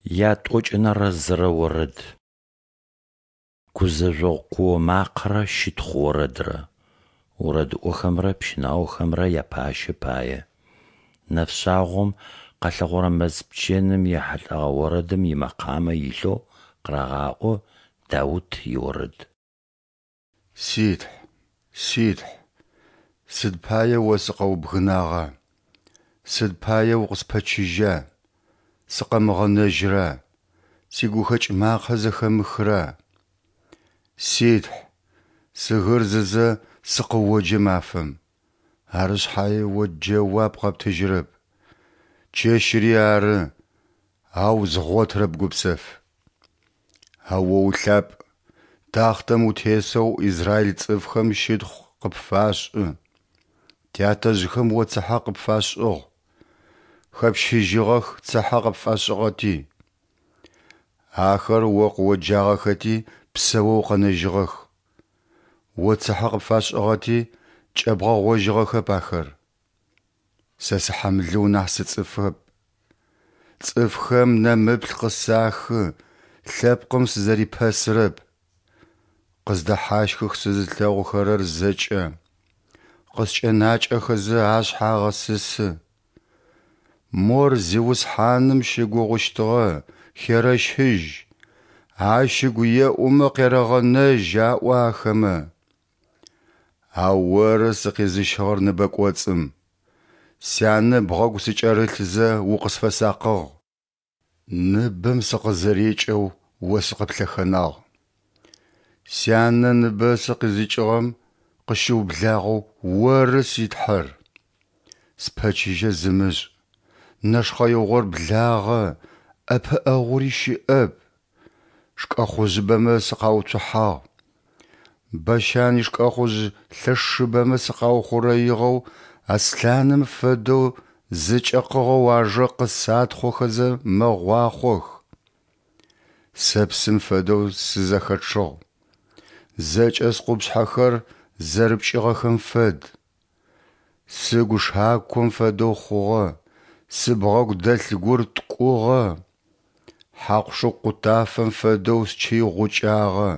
Ятӏокӏэнэрэ зырэ орэд. Гузэжъогъу куо макъэрэ щытхъу орэдрэ. Орэдыӏохэмрэ пщынаохэмрэ япащэ пае. Нэфшъагъом къэлъэгъорэ мэз пчэным ехьылӏэгъэ орэдым имэкъамэ илъэу къырагъаӏо Даут иорэд. Си Тхь, си Тхь, сыд пае О сыкъэубгынагъа, сыд пае укъыспэчыжьа, сыкъэмыгъэнэжьра, сигухэкӏ макъэ зэхэмыхра? Си Тхь, сыгырзызэ сыкъыоджэ мафэм, ары шъхьае О джэуап къэптыжьырэп, чэщыри ары, ау згъотырэп гупсэф. Ау О улъапӏ, тахътэм утесэу израиль цӏыфхэм щытхъу къыпфашӏы. Тятэжъхэм О цыхьэ къыпфашӏыгъ, хэпщыжьыгъэх цыхьэ къыпфашӏыгъэти. Ахэр О къыоджагъэхэти псэоу къэнэжьыгъэх. О цыхьэ къыпфашӏыгъэти, кӏэбгъэгъожьыгъэхэп ахэр. Сэ сыхьамлыу нахь сыцӏыфэп. Цӏыфхэм нэмыплъ къысахы, лъэпкъым сызэрипэсырэп. Къыздэхьащхых сызылъэгъухэрэр зэкӏэ, къыскӏэнакӏэхэзэ ашъхьэ агъэсысы. Мор Зиусхьаным щыгугъыщтыгъэ, херэщыжь, Ащ ыгу еӏумэ къерэгъэнэжь, аӏо ахэмэ. Ау Оры сыкъизыщыгъэр ныбэ кӏоцӏым, сянэ ыбгъэгу сыкӏэрылъзэ укъысфэсакъыгъ. Ныбэм сыкъызэрикӏэу О сыкъыплъэхэнагъ. Сянэ ыныбэ сыкъызикӏыгъэм къыщыублагъэу Оры си Тхьэр. Спэчыжьэ зымышӏ, нэшхъэигъор благъэ, ӏэпыӏэгъури щыӏэп. Шкӏэхъужъыбэмэ сыкъауцухьагъ. Бащан ишкӏэхъужъ лъэшыбэмэ сыкъаухъурэигъэу аслъаным фэдэу зэкӏэкъыгъэу ажэ къысатхъохэзэ мэгъуахъох. Сэ псым фэдэу сызэхэчъыгъ, зэкӏэ скъупшъхьэхэр зэрыпкӏыгъэхэм фэд. Сыгу шаком фэдэу хъугъэ, сыбгъэгу дэлъ гур ткӏугъэ. Хьакъу-шыкъу къутафэм фэдэу счый гъукӏагъэ,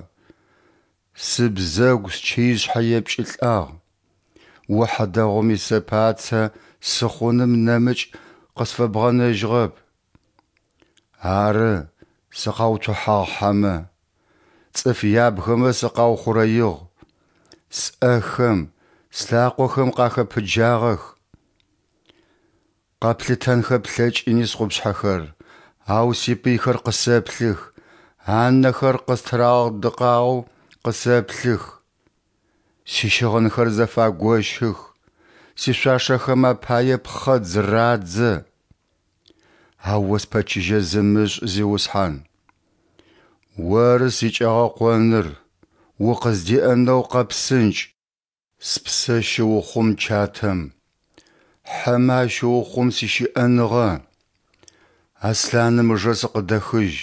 сыбзэгу счыишъхьэ епкӏылӏагъ. О хьадэгъум исэпацэ сыхъуным нэмыкӏ къысфэбгъэнэжьыгъэп. Ары, сыкъауцухьагъ хьэмэ, цӏыф ябгэмэ сыкъаухъурэигъ, сӏэхэм, слъакъохэм къахэпыджагъэх. Къэплъытэнхэ плъэкӏыни скъупшъхьэхэр, ау сипыйхэр къысэплъых, анэхэр къыстырагъэдыкъагъэу къысэплъых. Сищыгъынхэр зэфагощых, сишъуашэхэм апае пхъэдз радзэ. Ау О спэчыжьэ зымышӏ, Зиусхьан. Оры сикӏэгъэкъоныр, укъыздеӏэнэу къэпсынкӏ. Спсэ щыухъум чатэм, хьэмэ ащыухъум сищыӏэныгъэ. Аслъаным ыжэ сыкъыдэхыжь,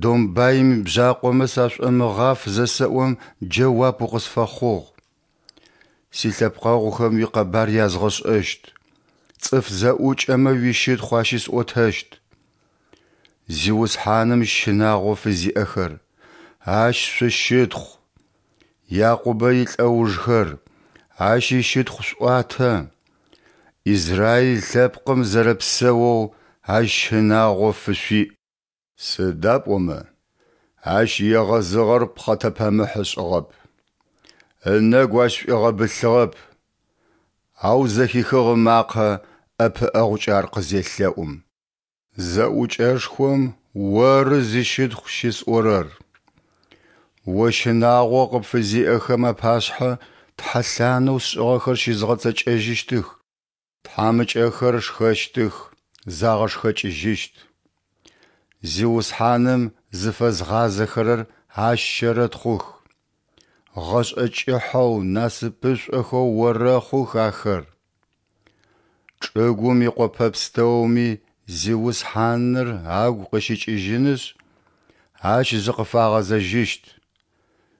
домбаим ибжъакъомэ сашӏомыгъаф зэсэӏом джэуап укъысфэхъугъ. Силъэпкъэгъухэм уикъэбар язгъэшӏэщт, цӏыф зэӏукӏэмэ уищытхъу ащысӏотэщт. Зиусхьаным щынагъо фызиӏэхэр, Ащ шъущытхъу! Якъубэ илӏэужхэр, Ащ ищытхъу шъуӏуатэ! Израиль лъэпкъым зэрэпсэоу Ащ щынагъо фышъуиӏ. Сыда пӏомэ, ащ егъэзыгъэр пхъэтэпэмыхь ышӏыгъэп, ынэгу ащ шӏуигъэбылъыгъэп, ау зэхихыгъ ымакъэ ӏэпыӏэгъукӏэ ар къызелъэӏум. Зэӏукӏэшхом Оры зищытхъу щысӏорэр. О щынагъо къыпфызиӏэхэм апашъхьэ тхьэлъанэу сшӏыгъэхэр щызгъэцэкӏэжьыщтых. Тхьамыкӏэхэр шхэщтых, загъэшхэкӏыжьыщт. Зиусхьаным зыфэзгъазэхэрэр Ащ щэрэтхъух. Гъэшӏэ кӏыхьэу, насыпышӏохэу орэхъух ахэр. Чӏыгум икъопэ пстэуми Зиусхьаныр агу къыщыкӏыжьынышъ, Ащ зыкъыфагъэзэжьыщт.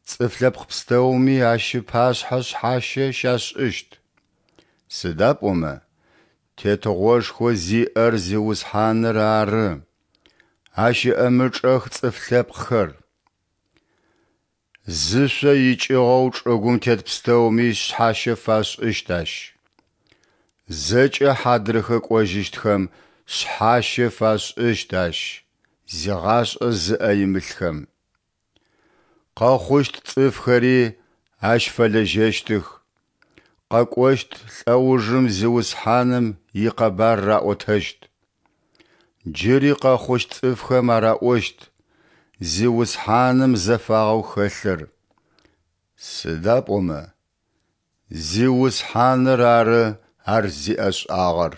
Цӏыф лъэпкъ пстэуми Ащ ыпашъхьэ шъхьащэ щашӏыщт. Сыда пӏомэ Тетыгъошхо зиӏэр Зиусхьаныр ары. Ащ ыӏэмычӏэх цӏыф лъэпкъхэр. Зышъо икӏыгъэу чӏыгум тет пстэуми шъхьащэ фашӏыщт Ащ. Зэкӏэ хьадрыхэ кӏожьыщтхэм шъхьащэ фашӏыщт Ащ, зигъашӏэ зыӏэ имылъхэм. Къэхъущт цӏыфхэри Ащ фэлэжьэщтых, къэкӏощт лӏэужым Зиусхьаным икъэбар раӏотэщт. Джыри къэхъущт цӏыфхэм араӏощт Зиусхьаным зэфагъэу хэлъыр, сыда пӏомэ Зиусхьаныр ары ар зиӏэшӏагъэр.